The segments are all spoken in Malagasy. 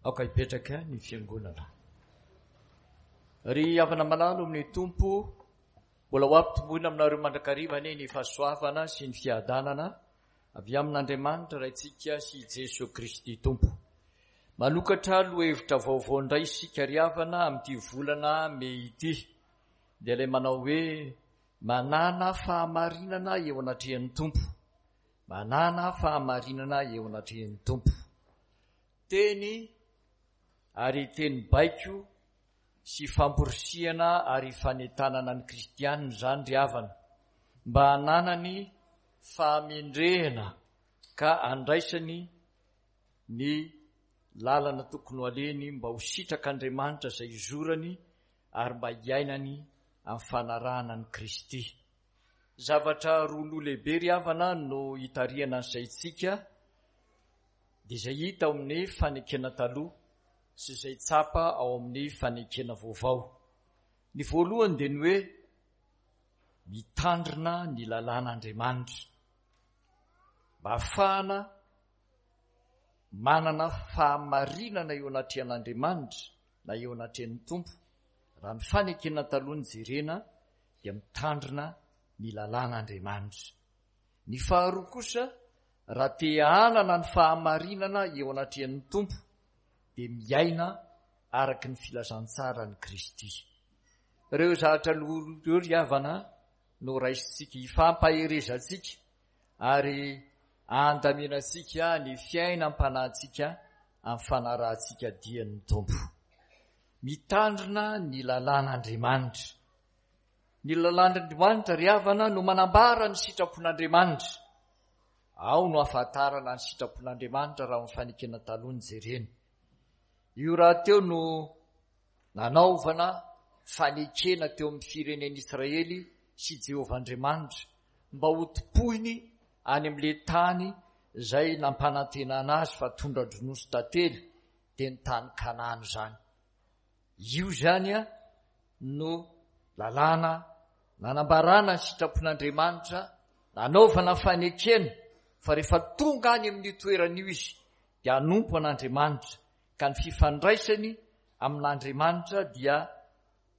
Aoka hipetraka ny fiangonana. Ry havana malalo amin'ny Tompo, mbola ho ampitomboina aminareo mandrakariva anie ny fahasoavana sy ny fiadanana avy amin'Andriamanitra Raintsika sy Jesoa Kristy Tompo. Manokatra lohahevitra vaovao indray isika ry havana amin'ity volana mey ity, dia ilay manao hoe manana fahamarinana eo anatrehan'ny Tompo. Manana fahamarinana eo anatrehan'ny Tompo. Teny ary teny baiko sy famporisihana ary fanentanana ny kristianina izany ry havana, mba hananany fahamendrehana ka handraisany ny lalana tokony ho alehany mba ho sitrak'Andriamanitra izay hizorany ary mba hiainany amin'ny fanarahana an'i Kristy. Zavatra roa loha lehibe ry havana no hitarihana ny saintsika dia izay hita ao amin'ny fanekena taloha sy izay tsapa ao amin'ny fanekena vaovao. Ny voalohany dia ny hoe mitandrina ny lalàn'Andriamanitra mba hahafahana manana fahamarinana eo anatrehan'Andriamanitra na eo anatrehan'ny Tompo. Raha ny fanekena taloha no jerena dia mitandrina ny lalàn'Andriamanitra. Ny faharoa kosa, raha te hanana ny fahamarinana eo anatrehan'ny Tompo, dia miaina araka ny filazantsaran'i Kristy. Ireo zavatra roa ireo ry havana no raisintsika hifampaherezantsika ary andaminantsika ny fiainam-panahintsika amin'ny fanarahantsika dian'ny Tompo. Mitandrina ny lalàn'Andriamanitra. Ny lalàn'Andriamanitra ry havana no manambara ny sitrapon'Andriamanitra. Ao no ahafantarana ny sitrapon'Andriamanitra raha amin'ny fanekena taloha no jerena. Io rahateo no nanaovana fanekena teo amin'ny firenen'Israely sy Jehovah Andriamanitra mba hotompoiny any amin'ilay tany izay nampanantenana azy fa tondra-dronono sy tantely, dia ny tany Kanana izany. Io izany no lalàna nanambarana ny sitrapon'Andriamanitra, nanaovana fanekena fa rehefa tonga any amin'io toerana io izy dia hanompo an'Andriamanitra, ka ny fifandraisany amin'Andriamanitra dia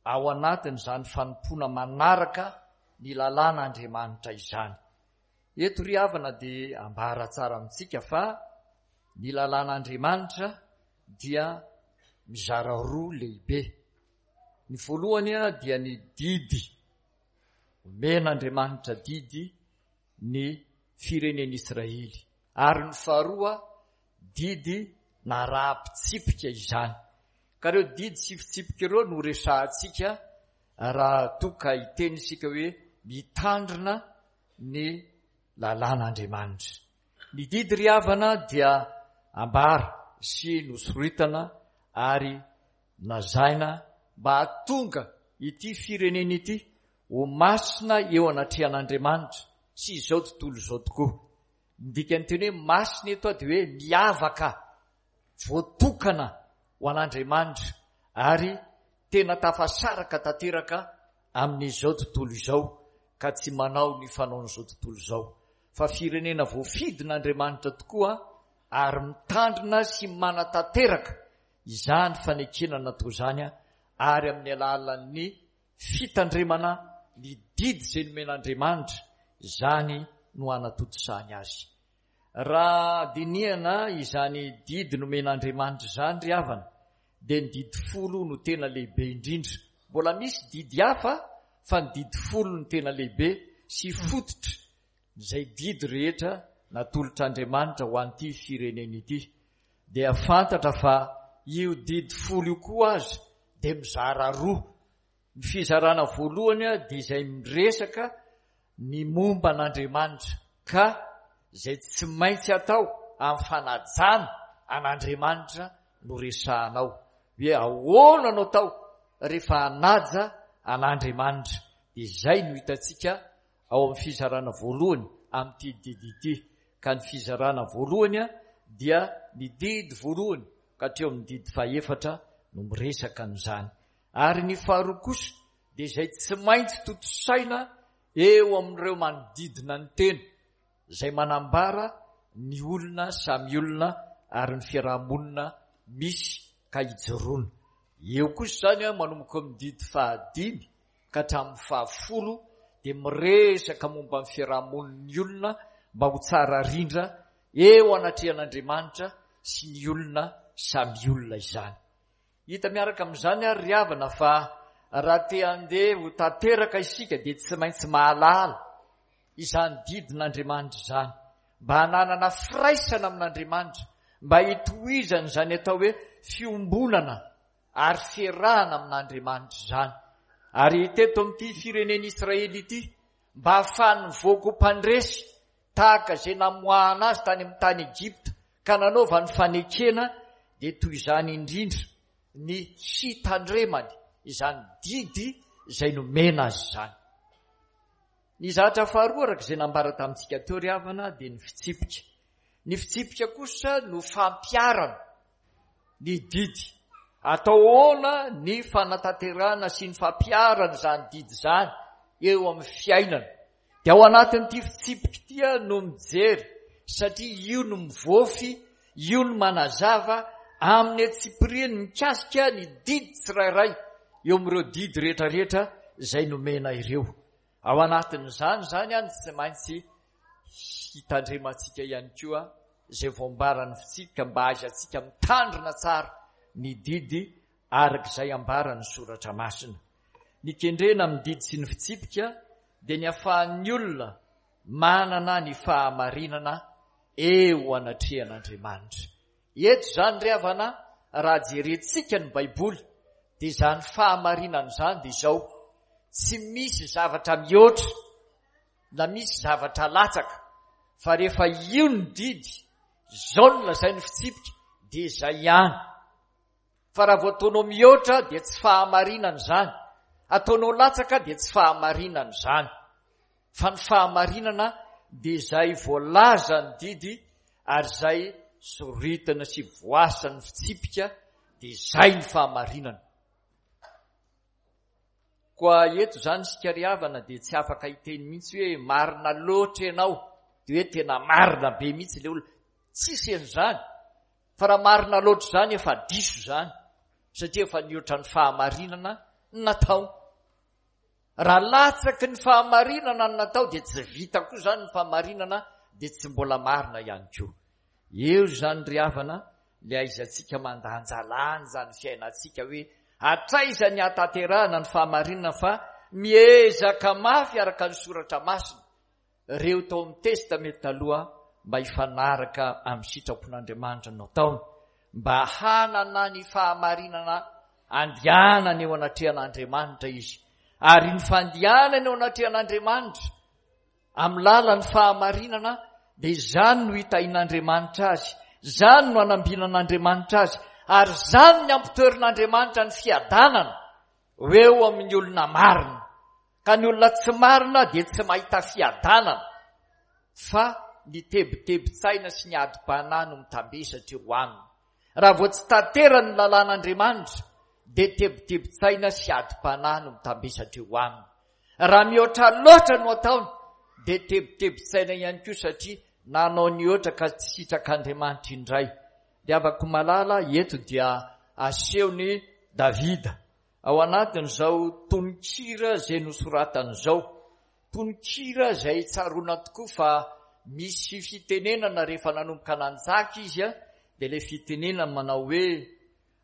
ao anatin'izany fanompoana manaraka ny lalàn'Andriamanitra izany. Eto ry havana dia ambara tsara amintsika fa ny lalàn'Andriamanitra dia mizara roa lehibe. Ny voalohany dia ny didy. Omen'Andriamanitra didy ny firenen'Israely. Ary ny faharoa, didy naraham-pitsipika izany. Ka ireo didy sy fitsipika ireo no resahantsika raha toa ka hiteny isika hoe mitandrina ny lalàn'Andriamanitra. Ny didy ry havana dia ambara sy nosoritana ary lazaina mba hahatonga ity firenena ity ho masina eo anatrehan'Andriamanitra sy izao tontolo izao tokoa. Ny dikan'ny teny hoe masina eto dia hoe miavaka, voatokana ho an'Andriamanitra ary tena tafasaraka tanteraka amin'izao tontolo izao ka tsy manao ny fanaon'izao tontolo izao fa firenena voafidin'Andriamanitra tokoa ary mitandrina sy manatanteraka izany fanekena natao izany ary amin'ny alalan'ny fitandremana ny didy izay nomen'Andriamanitra izany no hanatontosany azy. Raha dinihana izany didy nomen'Andriamanitra izany ry havana dia ny didy folo no tena lehibe indrindra. Mbola misy didy hafa fa ny didy folo no tena lehibe sy fototra izay didy rehetra natolotr'Andriamanitra ho an'ity firenena ity. Dia fantatra fa io didy folo io koa aza dia mizara roa. Ny fizarana voalohany dia izay miresaka ny momba an'Andriamanitra ka izay tsy maintsy atao amin'ny fanajana an'Andriamanitra no resahana ao. Hoe ahoana no atao rehefa hanaja an'Andriamanitra. Dia izay no hitantsika ao amin'ny fizarana voalohany amin'ity didy ity. Ka ny fizarana voalohany dia ny didy voalohany ka hatreo amin'ny didy fahefatra no miresaka an'izany. Ary ny faharoa kosa dia izay tsy maintsy tontosaina eo amin'ireo manodidina ny tena, izay manambara ny olona samy olona ary ny fiaraha-monina misy ka ijoroana. Eo kosa izany manomboka amin'ny didy fahadimy ka hatramin'ny fahafolo dia miresaka momba ny fiaraha-monin'ny olona mba ho tsara rindra eo anatrehan'Andriamanitra sy ny olona samy olona izany. Hita miaraka amin'izany ary ry havana fa raha te handeha ho tanteraka isika dia tsy maintsy mahalala izany didin'Andriamanitra izany mba hananana firaisana amin'Andriamanitra, mba hitohizana izany atao hoe fiombonana ary fiarahana amin'Andriamanitra izany. Ary teto amin'ity firenen'Israely ity, mba hahafahan'ny mivoaka ho mpandresy tahaka izay namoahana azy tany amin'ny tany Egypta ka nanaovany fanekena, dia toy izany indrindra ny hitandremany izany didy izay nomena azy izany. Ny zatra faharoa araka izay nambara tamintsika teo ry havana dia ny fitsipika. Ny fitsipika kosa no fampiharana ny didy. Atao ahoana ny fanatanterahana sy ny fampiharana izany didy izany eo amin'ny fiainana. Dia ao anatin'ity fitsipika ity no mijery satria io no mivoafy, io no manazava amin'ny antsipiriany mikasika ny didy tsirairay eo amin'ireo didy rehetrarehetra izay nomena ireo. Ao anatin'izany izany no tsy maintsy hitandremantsika ihany koa izay voambaran'ny fitsipika mba hahaizantsika mitandrina tsara ny didy araka izay ambaran'ny soratra masina. Ny kendrena amin'ny didy sy ny fitsipika dia ny afahan'ny olona manana ny fahamarinana eo anatrehan'Andriamanitra. Eto izany ry havana, raha jerentsika ny Baiboly, dia izany fahamarinana izany dia izao, tsy misy zavatra mihoatra na misy zavatra latsaka, fa rehefa io ny didy, izao no lazain'ny fitsipika, dia izay ihany. Fa raha vao ataonao mihoatra dia tsy fahamarinana izany, ataonao latsaka dia tsy fahamarinana izany. Fa ny fahamarinana dia izay voalazan'ny didy ary izay soritana sy voasan'ny fitsipika dia izay ny fahamarinana. Koa eto izany isika ry havana dia tsy afaka hiteny mihitsy hoe marina loatra ianao, dia hoe tena marina be mihitsy ilay olona. Tsisy an'izany. Fa raha marina loatra izany efa diso izany satria efa nihoatra ny fahamarinana ny natao. Raha latsaky ny fahamarinana ny natao dia tsy vita koa izany ny fahamarinana dia tsy mbola marina ihany koa. Eo izany ry havana ilay ahaizantsika mandanjalanja ny fiainantsika hoe hatraiza ny hahatanterahana ny fahamarinana fa miezaka mafy araka ny soratra masina ireo tao amin'ny Testamenta Taloha mba hifanaraka amin'ny sitrapon'Andriamanitra no ataony, mba hanana ny fahamarinana andehanany eo anatrehan'Andriamanitra izy. Ary ny fandehanany eo anatrehan'Andriamanitra amin'ny lalan'ny fahamarinana dia izany no hitahin'Andriamanitra azy, izany no hanambinan'Andriamanitra azy, ary izany ny ampitoerin'Andriamanitra ny fiadanana ho eo amin'ny olona marina. Ka ny olona tsy marina dia tsy mahita fiadanana fa ny tebitebin-tsaina sy ny adim-panahy no mitambesatra eo aminy. Raha vao tsy tanterany ny lalàn'Andriamanitra dia tebitebin-tsaina sy adim-panahy no mitambesatra eo aminy. Raha mihoatra loatra no ataony dia tebitebin-tsaina ihany koa satria nanao nihoatra ka tsy sitrak'Andriamanitra indray. Ry havako malala, eto dia asehon'i Davida Ao anatin'izao tononkira izay nosoratany izao, tononkira izay tsaroana tokoa fa misy fitenenana rehefa nanomboka nanjaka izy dia ilay fitenenana manao hoe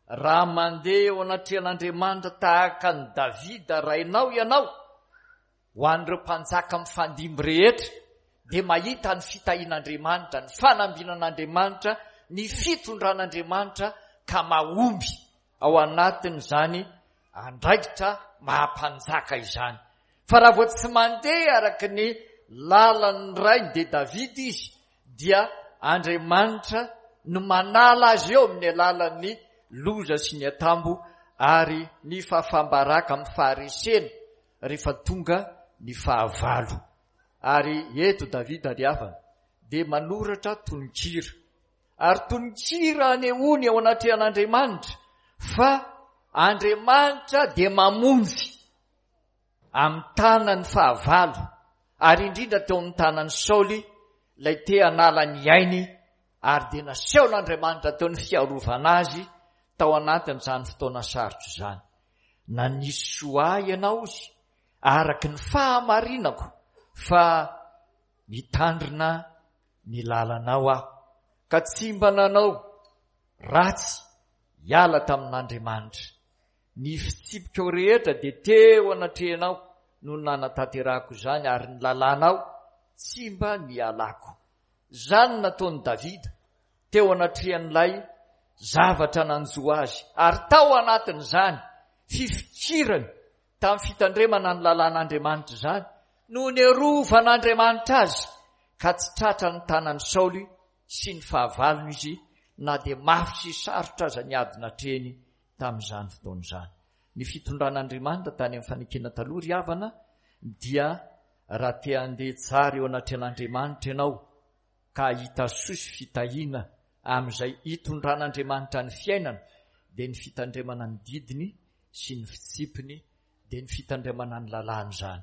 raha mandeha eo anatrehan'Andriamanitra tahaka an'i Davida rainao ianao, Ho an'ireo mpanjaka mifandimby rehetra dia mahita ny fitahian'Andriamanitra, ny fanambinan'Andriamanitra, ny fitondran'Andriamanitra ka mahomby ao anatin'izany andraikitra maha mpanjaka izany. Fa raha vao tsy mandeha araka ny lalan'ny rainy dia Davida izy dia Andriamanitra no manala azy eo amin'ny alalan'ny loza sy ny atambo ary ny fahafaham-baraka amin'ny faharesena rehefa tonga ny fahavalo. Ary eto Davida ry havana dia manoratra tononkira. Ary tononkira anehoany eo anatrehan'Andriamanitra fa Andriamanitra dia mamonjy amin'ny tanan'ny fahavalo, ary indrindra teo amin'ny tanan'i Saoly ilay te hanala ny ainy, ary dia nasehon'Andriamanitra teo ny fiarovana azy. tao anatin'izany fotoana sarotra izany. Nanisy soa ahy ianao izy araka ny fahamarinako fa nitandrina ny lalanao aho ka tsy mba nanao ratsy hiala tamin'Andriamanitra. Ny fitsipikao rehetra dia teo anatrehanao no nanatanterahako izany ary ny lalànao tsy mba nialako. Izany no nataon'i Davida teo anatrehan'ilay zavatra nanjo azy ary tao anatin'izany fifikirany tamin'ny fitandremana ny lalàn'Andriamanitra izany no niarovan'Andriamanitra azy ka tsy tratra ny tanan'i Saoly sy ny fahavalony izy na dia mafy sy sarotra aza ny ady natrehiny tamin'izany fotoana izany. Ny fitondran'Andriamanitra tany amin'ny fanekena taloha ry havana dia raha te handeha tsara eo anatrehan'Andriamanitra ianao ka hahita soa sy fitahiana amin'izay hitondran'Andriamanitra ny fiainana dia ny fitandremana ny didiny sy ny fitsipiny dia ny fitandremana ny lalàny izany.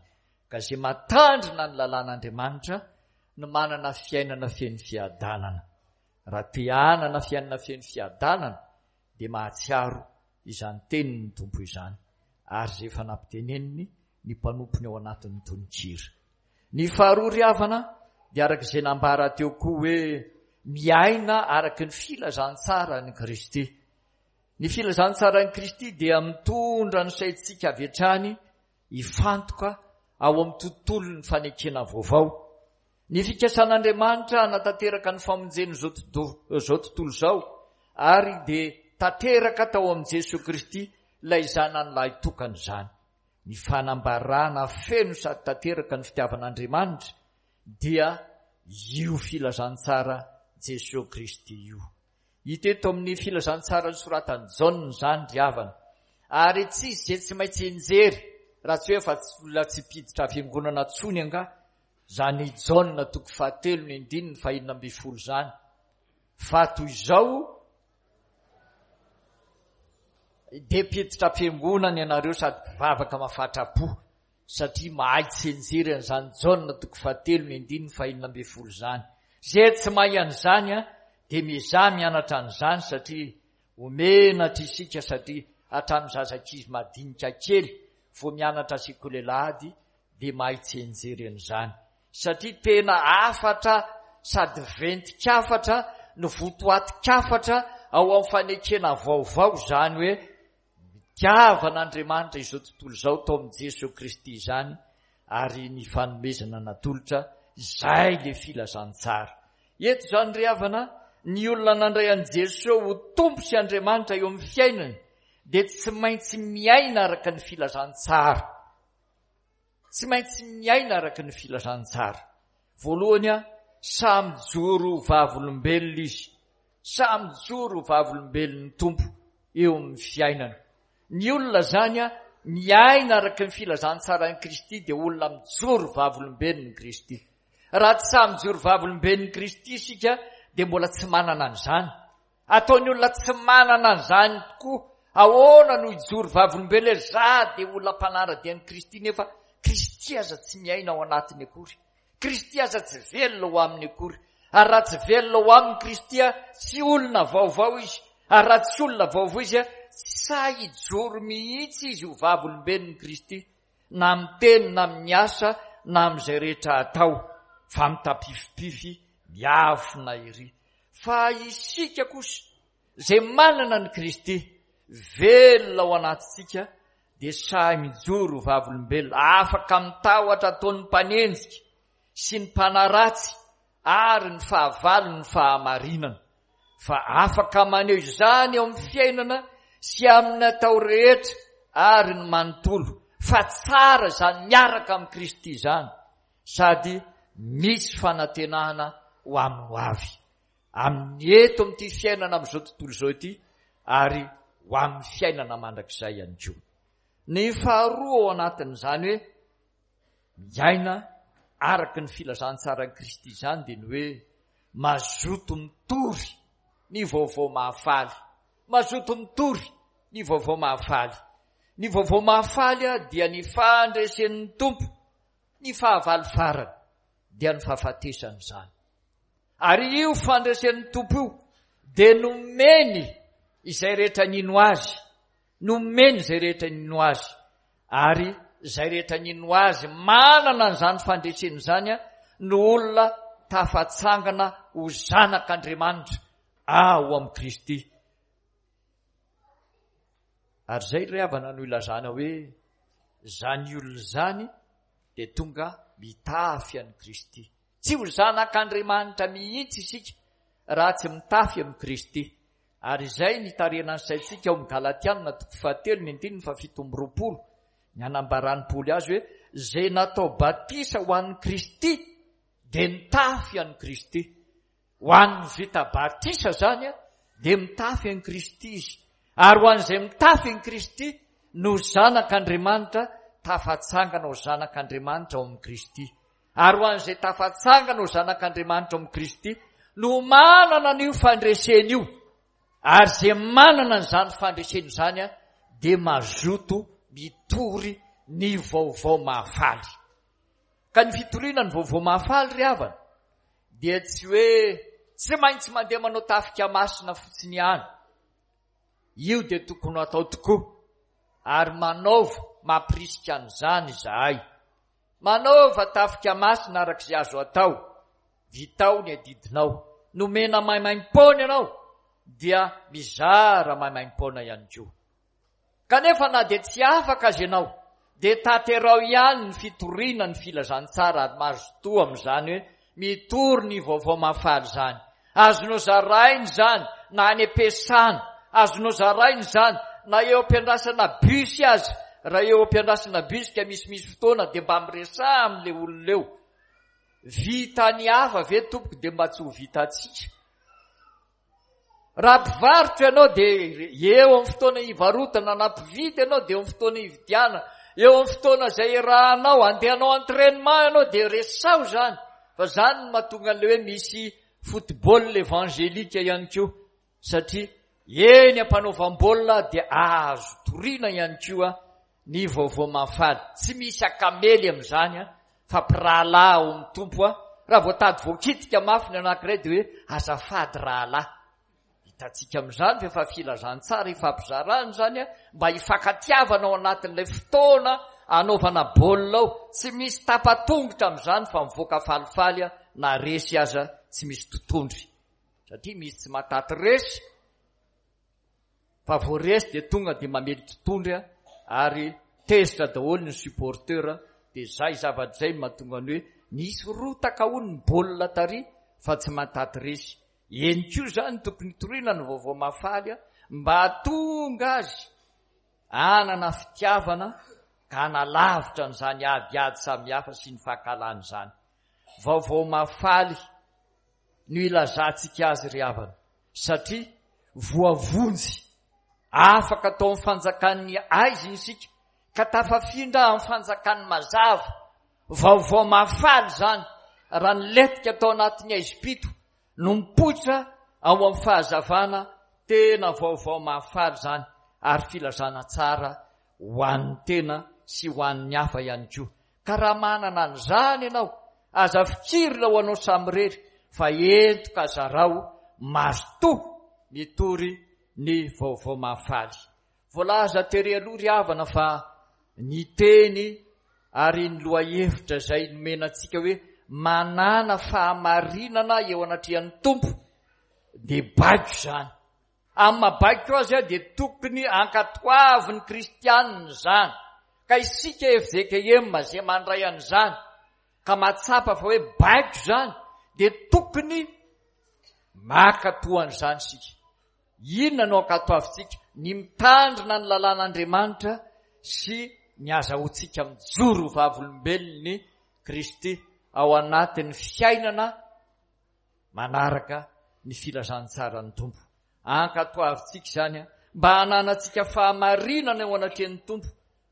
Ka izay matandrina ny lalàn'Andriamanitra no manana fiainana feno fiadanana. Raha te hanana fiainana feno fiadanana dia mahatsiaro izany tenin'ny Tompo izany ary izay efa nampiteneniny ny mpanompony ao anatin'ny tononkira. Ny faharoa ry havana dia araka izay nambara teo koa hoe miaina araka ny filazantsaran'i Kristy. Ny filazantsaran'i Kristy dia mitondra ny saintsika avy hatrany hifantoka ao amin'ny tontolon'ny fanekena vaovao. Ny fikasan'Andriamanitra hanatanteraka ny famonjen'izao tontolo izao ary dia tanteraka tao amin'i Jesoa Kristy ilay Zanany lahitokana izany. Ny fanambarana feno sady tanteraka ny fitiavan'Andriamanitra dia io filazantsara Jesoa Kristy io. Hita eto amin'ny filazantsara nosoratan'i Jaona izany ry havana. Ary tsy izy izay tsy maintsy enjery raha tsy hoe fa olona tsy mpiditra fiangonana tsony angaha izany Jaona toko fahatelo ny andininy fahenina ambin'ny folo izany. Fa toy izao dia mpiditra am-piangonana ianareo sady mpivavaka mafatra-po satria mahay tsianjery an'izany Jaona toko fahatelo ny andininy fahenina ambin'ny folo izany. Izay tsy mahay an'izany dia miezaha mianatra an'izany satria ho menatra isika satria hatramin'ny zazankizy madinika kely vao mianatra sekoly alahady dia mahay tsianjery an'izany satria tena hafatra sady ventin-kafatra no votoatin-kafatra ao amin'ny fanekena vaovao izany hoe Nitiavan'Andriamanitra izao tontolo izao tao amin'i Jesoa Kristy izany ary ny fanomezana natolotra izay le filazantsara. Eto izany ry havana, ny olona nandray an'i Jesoa ho Tompo sy Andriamanitra eo amin'ny fiainany dia tsy maintsy miaina araka ny filazantsara. Tsy maintsy miaina araka ny filazantsara. Voalohany, samy mijoro ho vavolombelona izy. Samy mijoro ho vavolombelon'ny Tompo eo amin'ny fiainana. Ny olona izany miaina araka ny filazantsaran'i Kristy dia olona mijoro vavolombelon'i Kristy. Raha tsy samy mijoro vavolombelon'i Kristy isika dia mbola tsy manana an'izany. Ataon'ny olona tsy manana an'izany tokoa. Ahoana no hijoro vavolombelona hoe za dia olona mpanara-dia an'i Kristy nefa Kristy aza tsy miaina ao anatiny akory. Kristy aza tsy velona ao aminy akory. Ary raha tsy velona ao aminy Kristy, tsy olona vaovao izy. Ary raha tsy olona vaovao izy, tsy sahy hijoro mihitsy izy ho vavolombelon'i Kristy, na amin'ny teny na amin'ny asa na amin'izay rehetra atao, fa mitapifipify miafina ery. Fa isika kosa, izay manana an'i Kristy velona ao anatintsika, dia sahy mijoro ho vavolombelona, afaka amin'ny tahotra ataon'ny mpanenjika sy ny mpanaratsy ary ny fahavalon'ny fahamarinana, fa afaka maneho izany eo amin'ny fiainana sy amin'ny atao rehetra ary ny manontolo, fa tsara izany miaraka amin'i Kristy izany, sady misy fanantenana ho amin'ny ho avy, amin'ny eto amin'ity fiainana amin'izao tontolo izao ity ary ho amin'ny fiainana mandrakizay ihany koa. Ny faharoa ao anatin'izany hoe miaina araka ny filazantsaran'i Kristy izany dia ny hoe mazoto mitory ny vaovao mahafaly. Mazoto mitory ny vaovao mahafaly. Ny vaovao mahafaly dia ny fandresen'ny Tompo ny fahavalo farany dia ny fahafatesana izany. Ary io fandresen'ny Tompo io dia nomeny. izay rehetra nino Azy, nomeny izay rehetra nino Azy, ary izay rehetra nino Azy manana an'izany fandresena izany no olona tafatsangana ho zanak'Andriamanitra ao amin'i Kristy. Ary izay ry havana no ilazana hoe izany olona izany dia tonga mitafy an'i Kristy. Tsy ho zanak'Andriamanitra mihitsy isika raha tsy mitafy amin'i Kristy. Ary izay ny itarihana ny saintsika ao amin'ny Galatiana toko fahatelo ny andininy faha-27, ny anambaran'i Paoly azy hoe izay natao batisa ho an'i Kristy dia nitafy an'i Kristy. Ho an'ny vita batisa izany dia mitafy an'i Kristy izy. Ary ho an'izay mitafy an'i Kristy no zanak'Andriamanitra, tafatsangana ho zanak'Andriamanitra ao amin'i Kristy. Ary ho an'izay tafatsangana ho zanak'Andriamanitra ao amin'i Kristy no manana an'io fandresena io. Ary izay manana an'izany fandresena izany dia mazoto mitory ny vaovao mahafaly. Ka ny fitoriana ny vaovao mahafaly ry havana dia tsy hoe tsy maintsy mandeha manao tafika masina fotsiny ihany. Io dia tokony ho atao tokoa ary manaova mampirisika an'izany izahay. Manaova tafika masina araka izay azo atao. Vitao ny adidinao. Nomena maimaimpoana ianao dia mizara maimaimpoana ihany koa. Kanefa na dia tsy afaka aza ianao, dia tanterao ihany ny fitoriana ny filazantsara ary mazotoa amin'izany hoe mitory ny vaovao mahafaly izany. Azonao zaraina izany na any am-piasana, azonao zaraina izany na eo am-piandrasana bus aza. Raha eo am-piandrasana bus ka misimisy fotoana dia mba miresaha amin'ilay olona eo. Vitan'ny hafa ve tompoko dia mba tsy ho vitantsika? Raha mpivarotra ianao dia eo amin'ny fotoana hivarotana, na mpividy ianao dia eo amin'ny fotoana hividianana, eo amin'ny fotoana izay iarahanao, andeha hanao entraînement ianao dia resaho izany, fa izany no mahatonga an'ilay hoe misy football évangélique ihany koa, satria eny am-panaovam-baolina dia azo toriana ihany koa ny vaovao mahafaly. Tsy misy akamely amin'izany fa mpirahalahy ao amin'ny Tompo aho. Raha vao tady voakitika mafy ny anankiray dia hoe azafady rahalahy. Hitantsika amin'izany fa efa filazantsara ifampizarana izany mba hifankatiavana ao anatin'ilay fotoana anaovana baolina ao. Tsy misy tapa-tongotra amin'izany fa mivoaka falifaly na resy aza tsy misy totondry. Satria misy tsy mahataty resy. Fa vao resy dia tonga dia mamely totondry ary tezitra daholo ny supporteur dia zay zavatra zay no mahatonga ny hoe nisy rotaka hono ny baolina tary fa tsy mahataty resy. Eny koa zany tokony hitoriana ny vaovao mahafaly mba hahatonga azy hanana fitiavana ka hanalavitra an'izany adiady samihafa sy ny fankahalana izany. Vaovao mahafaly no ilazantsika azy ry havana satria voavonjy, afaka tao amin'ny fanjakan'ny aizina isika ka tafafindra amin'ny fanjakan'ny mazava. Vaovao mahafaly izany raha nilentika tao anatin'ny aizim-pito no mipoitra ao amin'ny fahazavana, tena vaovao mahafaly izany ary filazana tsara ho an'ny tena sy ho an'ny hafa ihany koa. Ka raha manana an'izany ianao, aza fikirina ho anao samirery fa ento ka zarao, mazotoa mitory ny vaovao mahafaly. Voalaza tery aloha ry havana fa ny teny ary ny lohahevitra izay nomena antsika hoe manàna fahamarinana eo anatrehan'ny Tompo dia baiko izany. Amin'ny maha baiko azy dia tokony ankatoavin'ny kristianina izany. Ka isika fjkm izay mandray an'izany ka mahatsapa fa hoe baiko izany dia tokony mankatoa an'izany isika. Inona no ankatoavintsika? Ny mitandrina ny lalàn'Andriamanitra sy ny azahoantsika mijoro ho vavolombelon'i Kristy ao anatin'ny fiainana manaraka ny filazantsaran'ny Tompo. Ankatoavintsika izany mba hananantsika fahamarinana eo anatrehan'ny Tompo,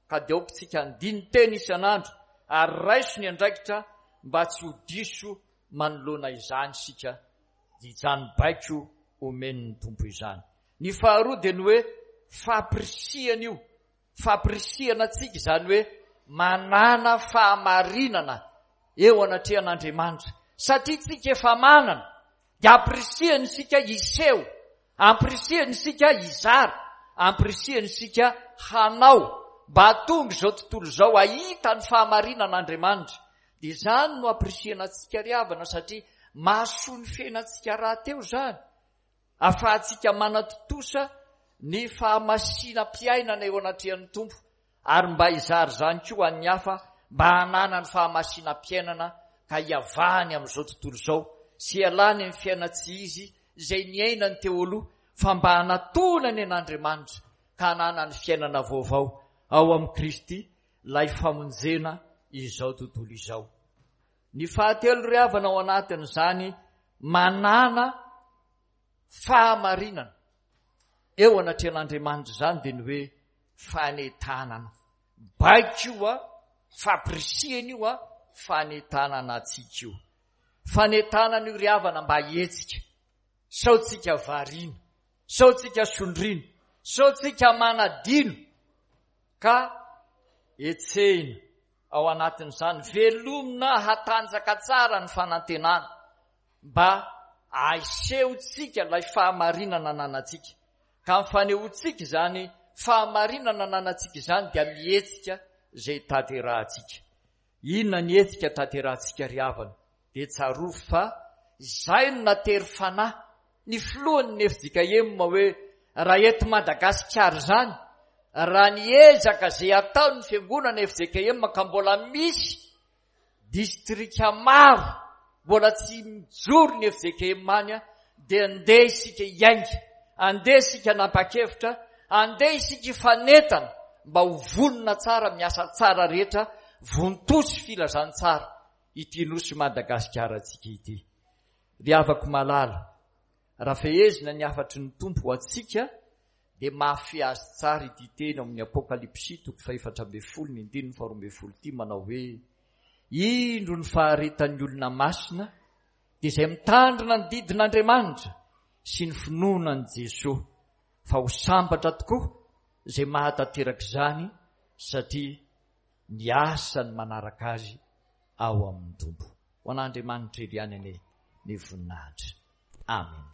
ka dia aoka isika handini-tena isan'andro ary raiso ny andraikitra mba tsy ho diso manoloana izany isika, izany baiko omen'ny Tompo izany. Ny faharoa dia ny hoe fampirisihana io Fampirisihana antsika izany hoe manàna fahamarinana eo anatrehan'Andriamanitra. Satria tsika efa manana, dia ampirisihana isika hiseho. Ampirisihana isika hizara, ampirisihana isika hanao mba hahatonga izao tontolo izao hahita ny fahamarinan'Andriamanitra. Dia izany no ampirisihana antsika ry havana satria mahasoa ny fiainantsika rahateo izany. Ahafahantsika manatontosa ny fahamasinam-piainana eo anatrehan'ny Tompo ary mba hizara izany koa ho an'ny hafa mba hananany fahamasinam-piainana ka hiavahany amin'izao tontolo izao sy hialany amin'ny fiainan-tsy izy izay niainany teo aloha fa mba hanatonany an'Andriamanitra ka hananany fiainana vaovao ao amin'i Kristy ilay famonjena izao tontolo izao. Ny fahatelo ry havana ao anatin'izany manana fahamarinana eo anatrehan'Andriamanitra izany dia ny hoe fanentanana. Baiko io a, fampirisihana io a, fanentanana antsika io. Fanentanana io ry havana mba hihetsika. Sao tsika variana, sao tsika sondriana, sao tsika manadino ka hetsehina ao anatin'izany. Velomina hatanjaka tsara ny fanantenana mba ahisehontsika ilay fahamarinana ananantsika. Ka ny fanehoantsika izany fahamarinana ananantsika izany dia mihetsika izay tanterahantsika. Inona ny hetsika tanterahantsika ry havana? Dia tsarovy fa izay no natery fanahy ny filohan'ny fjkm hoe raha eto Madagasikara izany, raha ny ezaka izay ataon'ny fiangonana fjkm ka mbola misy distrika maro mbola tsy mijoro ny fjkm any dia andeha isika hiainga, andeha isika hanapa-kevitra, andeha isika hifanentana mba ho vonona tsara miasa tsara rehetra vontosy filazantsara ity nosy Madagasikara-tsika ity. Ry havako malala, raha fehezina ny hafatry ny Tompo ho antsika dia mahafehy azy tsara ity teny ao amin'ny Apokalypsy toko fahefatra ambin'ny folo ny andininy faharoa ambin'ny folo ity manao hoe, Indro ny faharetan'ny olona masina dia izay mitandrina ny didin'Andriamanitra sy ny finoana an'i Jesoa, fa ho sambatra tokoa izay mahatanteraka izany satria ny asany manaraka azy ao amin'ny Tompo. Ho an'Andriamanitra irery ihany anie ny voninahitra. Amen.